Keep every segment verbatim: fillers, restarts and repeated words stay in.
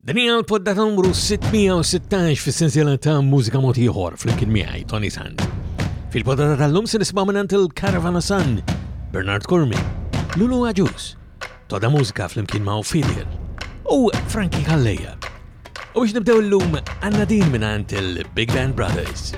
Din hija l-poddata numru sitt mija u sittax fis-sensiela ta' Mużika Mod Ieħor flimkien miegħi, Toni Sant. Fil-poddata tal-lum se nisimgħu mingħand il-Caravana Sun, Bernard Curmi, Lulu Agius, Toda Mużika flimkien ma' Fidel u Frankie Calleja. U biex nibdew illum għandna din mingħand il-Big Band Brothers.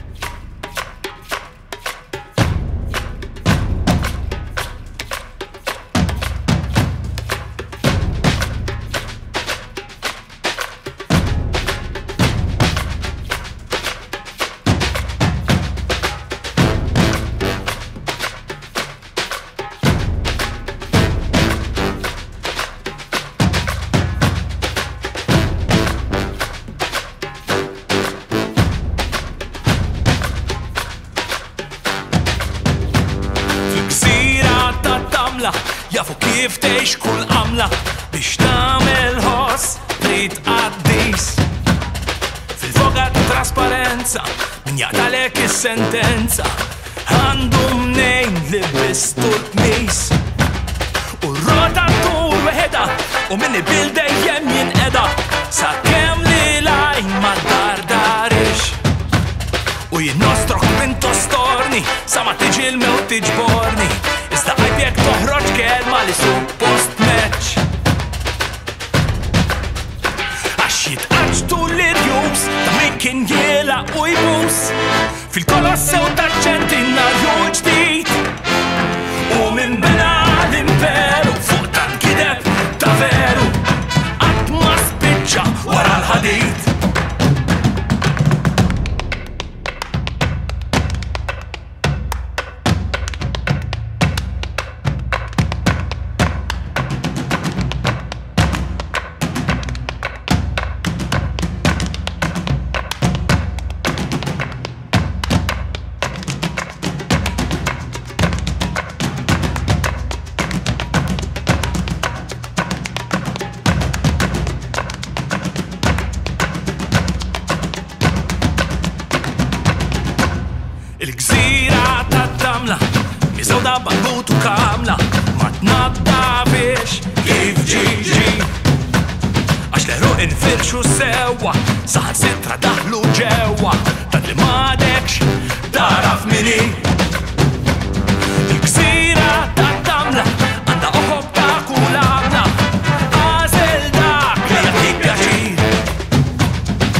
Fil-gżira ta' tamla jafu kif tgħix kull għamla, biex tagħmel ħoss trid qaddis. Fil-foga ta' trasparenza min jaqtalek is-sentenza għandu mnejn li bistu l-qmis. U r-rota tur weħeda u min ibil dejjem jinqeda sakemm li lajn ma dardarix. U jien nostrok minn tostorni sa ma tiġi l-mewt tiġborni. Iżda għajb jekk toħroġ kelma li suppost meċ. Għax jitqaċtu l-irjus ta' min kien jela u jbus fil-kolossew ta' ċentinarju ġdid. U min bena l-imperu fuq tal-gideb ta' veru qatt ma spiċċa wara l-ħadid. Il-gżira ta' tamla miżewda bambut u kamla ma tnaddafix kif ġiġi. Għax l-eruq infirxu sewwa, saħan sitra daħlu ġewwa, tant li m'għadekx taraf mini. Il-gżira ta' tamla għandha oħob ta' kull għamla, għażel dak li jagħtik pjaċir.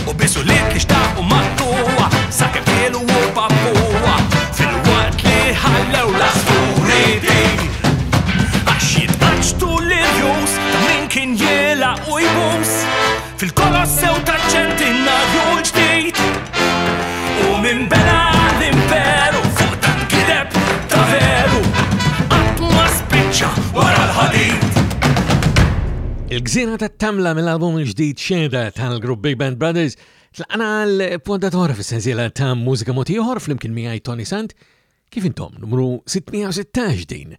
U bisu li xtaqu maqtuwa sakemm kielu u pappuwa fil-waqt li ħallew l-asfuri dir. Għax jitqaċtu l-irjus ta' min kien jela u jbus fil-kolossew ta' ċentinarju l-ġdid. U min bena l-imperu fuq tan gideb ta' veru qatt ma spiċċa wara l-ħadid. Il-gżira ta' tamla mill-album il-ġdid Xeda tal-grupp Big Band Brothers tlaqna l-pondatora fis-sensiela ta' Mużika Mod Ieħor flimkien miegħi, Toni Sant. Kif intom, numru sitt mija u sittax din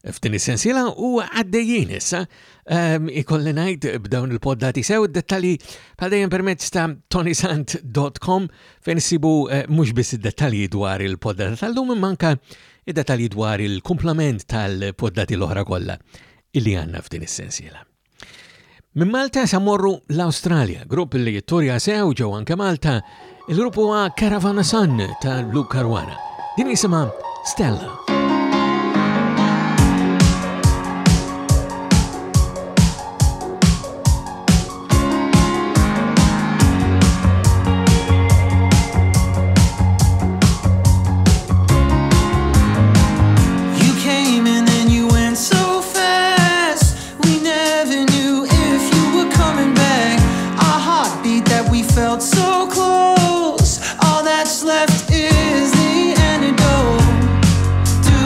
f'din is-sensiela u għaddejjin issa um, ikolli ngħid b'dawn il-poddati sew. Id-dettalji bħal dejjem permezz ta' tonisant dot com fejn issibu eh, mhux biss id-dettalji dwar il-poddata tal-lum imma anke id-dettalji dwar il-kumplament tal-poddati l-oħra kollha illi għandna f'din is-sensiela. Minn Malta sa morru l-Australia, grupp li jitturja sew ġew anke Malta, il-grupp huwa Caravana Sun ta' Luke Caruana. Din jisimha Stella. You came and then you went so fast. We never knew if you were coming back. Our heartbeat that we felt so close. All that's left is the antidote. Do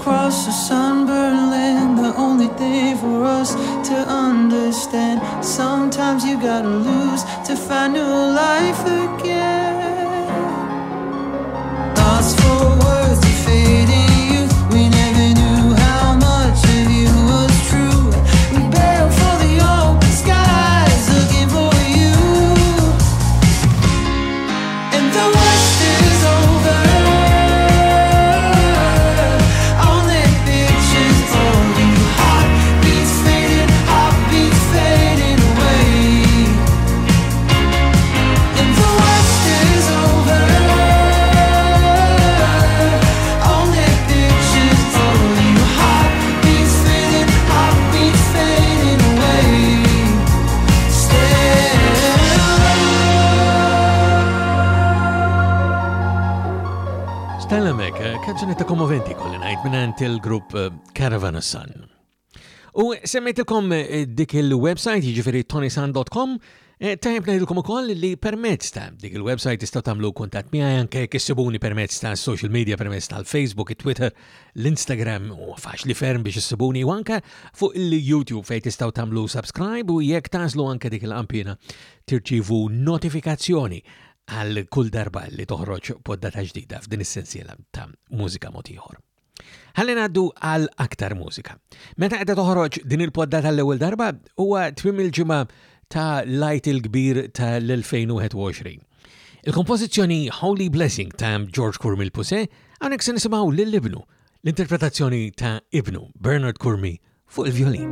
Across the sunburned land, the only thing for us to understand, sometimes you gotta lose to find new life again. Lost for words, the fading youth. We never knew how much of you was true. We bailed for the open skies, looking for you. And the worst is over. Only pictures of you. Heartbeats fading, heartbeats fading away. And the worst is over. Only pictures of you. Heartbeats fading, heartbeats fading away. Still. Stella Mek, kanzunetta kommoventi kolli ngħid mingħand il-grupp eh, Caravan of Sun. U semmejtilkom eh, dik il-website, jiġifieri tonisan dot com, eh, tajjeb ngħidilkom ukoll li permezz ta' dik il-website tistgħu tagħmlu kuntatt miegħi anke jekk issibuni permezz ta' social media, permezz tal-Facebook, it-Twitter, l-Instagram, u faċli ferm biex issibuni, u anke fuq il-YouTube fejn tistgħu tagħmlu subscribe u jekk tażlu anke dik il-qampina tirċievu notifikazzjoni għal kull darba li toħroġ poddata ġdida f'din is-sensiela ta' mużika mod ieħor. Ħalli ngħaddu għal aktar mużika. Meta qiegħda toħroġ din il-poddata l-ewwel darba huwa tmiem il-ġimgħa ta' l-Għid il-Kbir tal-elfejn u wieħed u għoxrin. Il-kompożizzjoni Holy Blessing ta' George Curmi l-Pusè hawnhekk se nisimgħu lil ibnu, l-interpretazzjoni ta' ibnu Bernard Curmi fuq il-violin.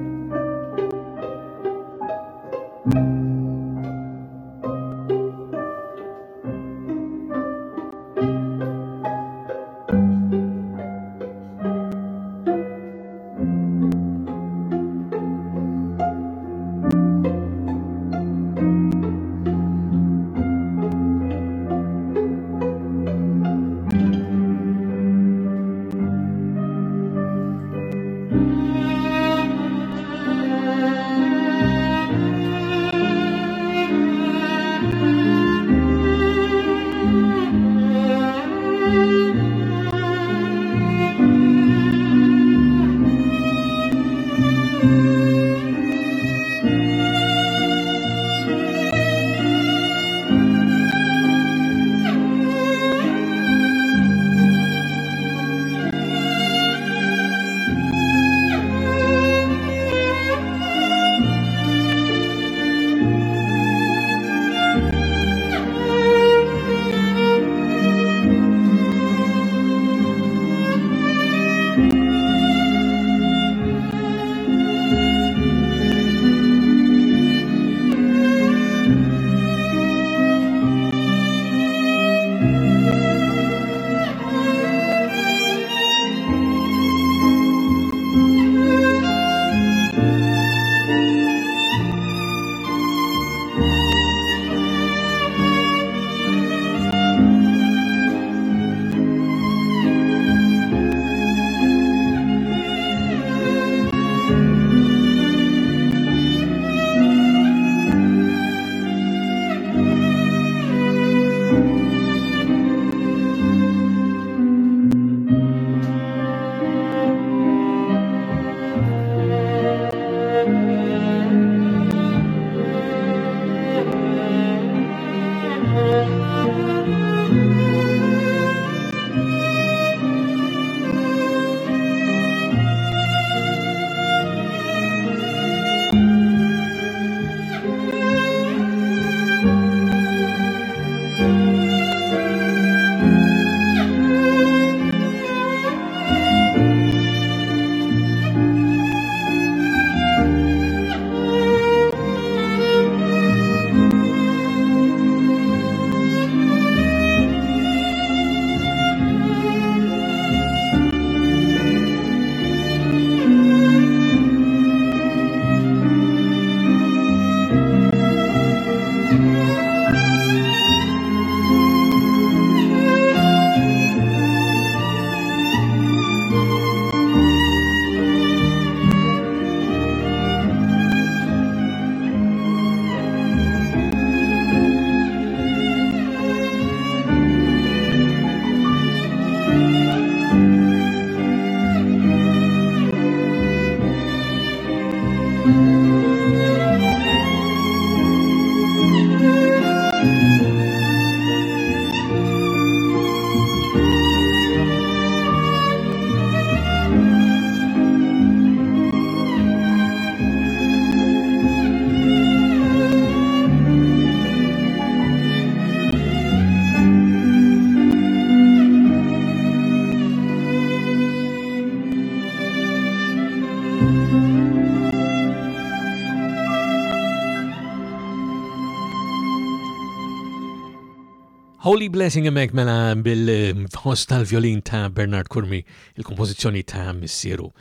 Holy Blessing hemmhekk mela bil-ħoss tal-violin ta' Bernard Curmi, il-kompożizzjoni ta' missieru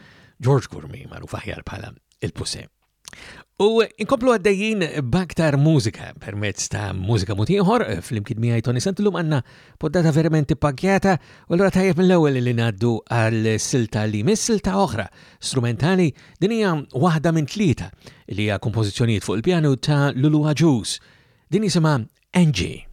George Curmi, magħruf aħjar bħala il-Puse. U inkomplu għaddejjin b'aktar mużika permezz ta' mużika mod ieħor flimkien miegħi Toni Sant. Illum għandna poddata verament ippakkjata u allura tajjeb mill-ewwel li ngħaddu għal silta li miss silta oħra strumentali. Din hija waħda minn tlieta li hija kompożizzjonijiet fuq il-pjanu ta' Lulu Agius. Din jisimha Angie.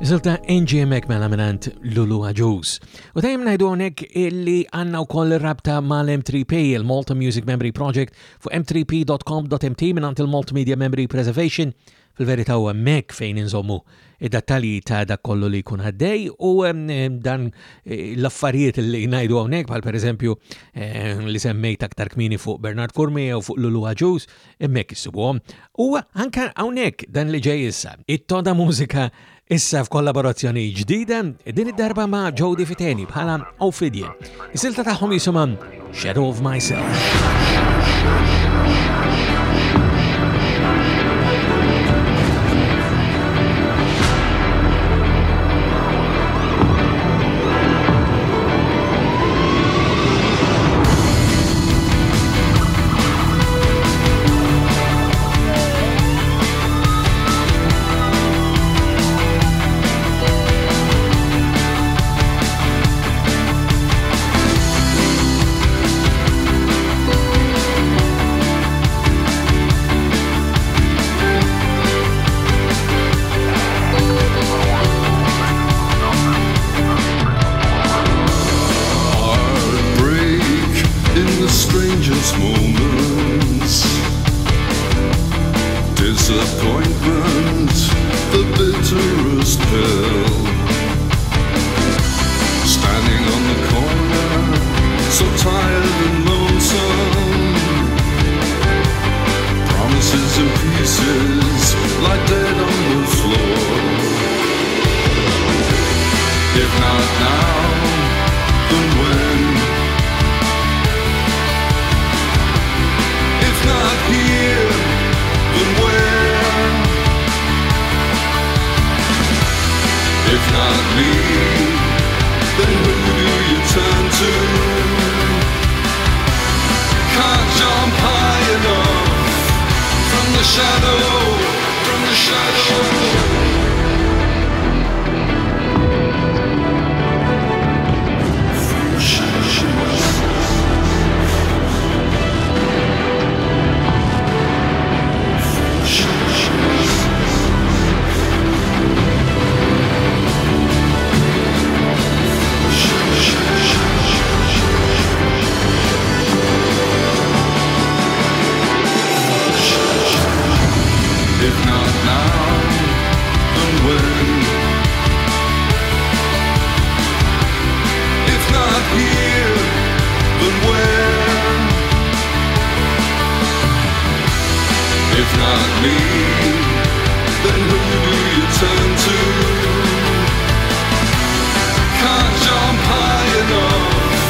Silta Angie hemmhekk mela minant Lulu Agius. U dejjem ngħidu hawnhekk illi għandna wkoll rabta mal-M three P, il-Malta Music Memory Project, fuq m three p dot com dot m t minant il-Multimedia Memory Preservation. Fil-verità huwa hemmhekk fejn inżommu id-dettalji ta' dak kollu li jkun għaddej u, em, dan, eh, l-affarijiet li ngħidu hawnhekk bħal pereżempju, eh, li semmejt aktar kmieni fuq Bernard Curmi jew fuq Lulu Agius, hemmhekk issibuhom. U anke hawnhekk dan li ġej issa, it-toda mużika issa f'kollaborazzjoni ġdida, din id-darba ma' Jody Fiteni bħala Ophidian. Is-silta tagħhom jisimha Shadow of Myself. If not now, turn to? Can't jump high enough from the shadow, from the shadow. If not now, then when? If not here, then where? If not me, then who do you turn to? Can't jump high enough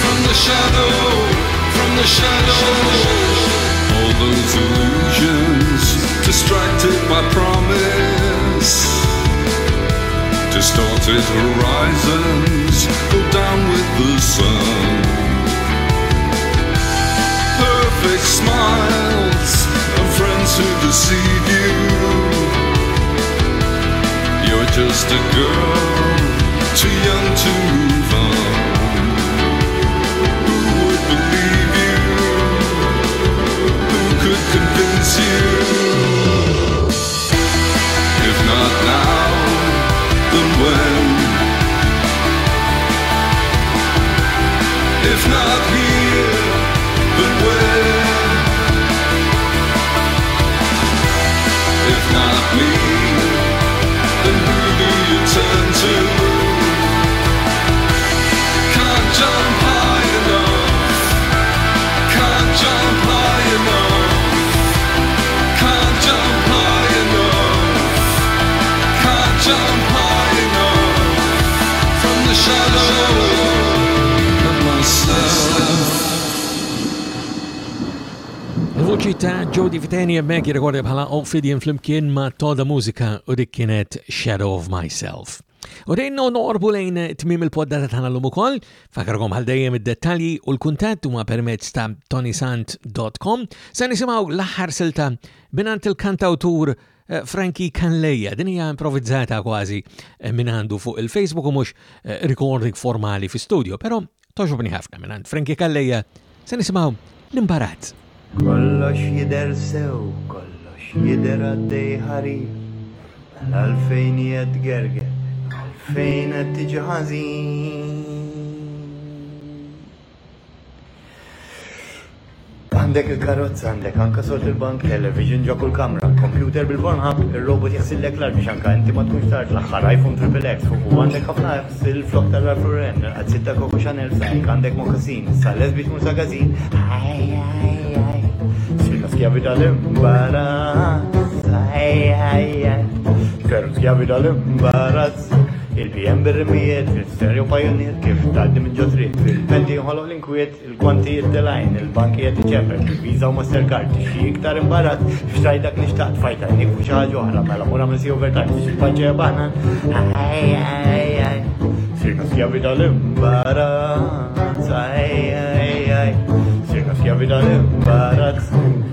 from the shadow, from the shadow. All those illusions, distracted by promise, distorted horizons go down with the sun. Perfect smiles and friends who deceive you. You're just a girl, too young to move on. Who would believe you? Who could convince you? If not now, then when? If not here, then where? If not me, then who do you turn to? Can't jump high enough. Can't jump high enough. Can't jump high enough. Can't jump high enough from the shadow of myself. Il-vuċi ta' Joe Di Viteni hemmhekk jirrekordja bħala Ophidian flimkien ma' Toda Mużika u dik kienet Shadow of Myself. U dejn noqorbu lejn tmiem il-poddata tagħna llum ukoll, fakarkom għal dejjem id-dettalji u l-kuntatt huma permezz ta' toni sant dot com. Se nisimgħu l-aħħar silta mingħand il-kantawtur Frankie Calleja. Din hija improvvizzata kważi minn għandu fuq il-Facebook u mhux recording formali fi studio, però toġobni ħafna minn Frankie Calleja. Se nisimgħu l-imbarazz. Kollox jidher sew, kollox jidher għaddej ħarir, mela għalfejn qiegħed gerger, għalfejn qed tiġi ħażin. Għandek il-karozza, għandek anka sort il-bank, television ġo kull kamra, computer bil-Pornhub, il-robot jaħsillek l-art biex anka inti ma tkunx tard, l-aħħar iPhone triple X, fuq u għandek ħafna apps, il-flok tal-Ralph Lauren, il-qazzit ta' Coco Chanel, sajk għandek mokassin, sa les biex mur sa gazin. Aj, aj, aj, sirna skjavi tal-imbarazz, aj, aj, aj, veru skjavi tal-imbarazz. Il-B M bir-rimijiet, il-stereo Pioneer, kif tgħaddi minn ġo triq, fil-penti jinħoloq l-inkwiet, il-kwanti jittilajn, il-banki qed iċempel, il-Visa u Mastercard, xi iktar imbarazz, xtraj dak li xtaqt, fajt għajnik fuq xi ħaġa oħra, mela mur għamel si overtime, biex il-paġġa hija baħnan. Aj, aj, aj, sirna skjavi tal-imbarazz, aj, aj, aj, sirna skjavi tal-imbarazz.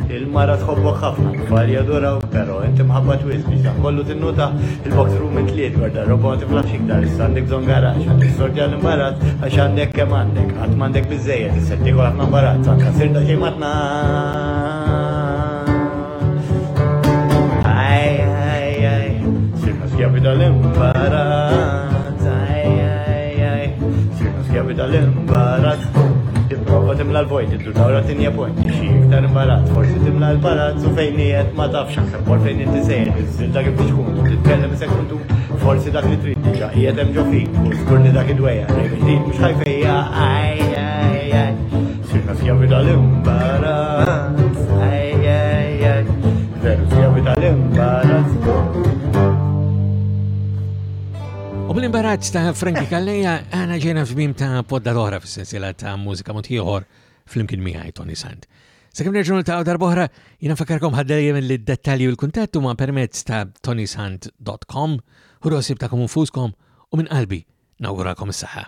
Il-mara tħobbok ħafna, tfal jadurawk, però inti mħabba twiss biex dan kollu tinnuta. Il-box room intliet, gwarda roba ma tiflaħx iktar, issa għandek bżonn garax, għandek sorti għall-imbarazz, għax għandek kemm għandek, qatt m'għandek biżżejjed, issa tiekol ħafna imbarazz, anka sirta xejn ma tnaqs. Aj, aj, aj, sirna skjavi tal-imbarazz, aj, aj, aj, sirna skjavi tal-imbarazz. Tipprova timla l-vojt, iddur dawra tinja point, xi iktar imbarazz, forsi timla l-palazz u fejn qiegħed ma tafx aħseb wara fejn inti sejjer, iżżil dak kif tkun, titkellem sekundu, forsi dak li trid diġà qiegħed hemm ġo fik, u żgur li dak id-dwejja, rejn ġdid mhux ħajfejja, aj, aj, aj, sirna skjavi tal-imbarazz, aj, aj, aj, veru skjavi tal-imbarazz. U bl-imbarazz ta' Frankie Calleja għana ġejna f'mim ta' poddadora fis-sensiela ta' mużika mod ieħor flimkien miegħi Toni Sant. Sakemm nerġgħu niltaqgħu darb'oħra, jiena nfakkarkom ħaddejjem li d-dettalji u l-kuntatt huma permezz ta' toni sant dot com. Ħudu ħsieb tagħkom infuskom u minn qalbi nawgurakom is-saħħa.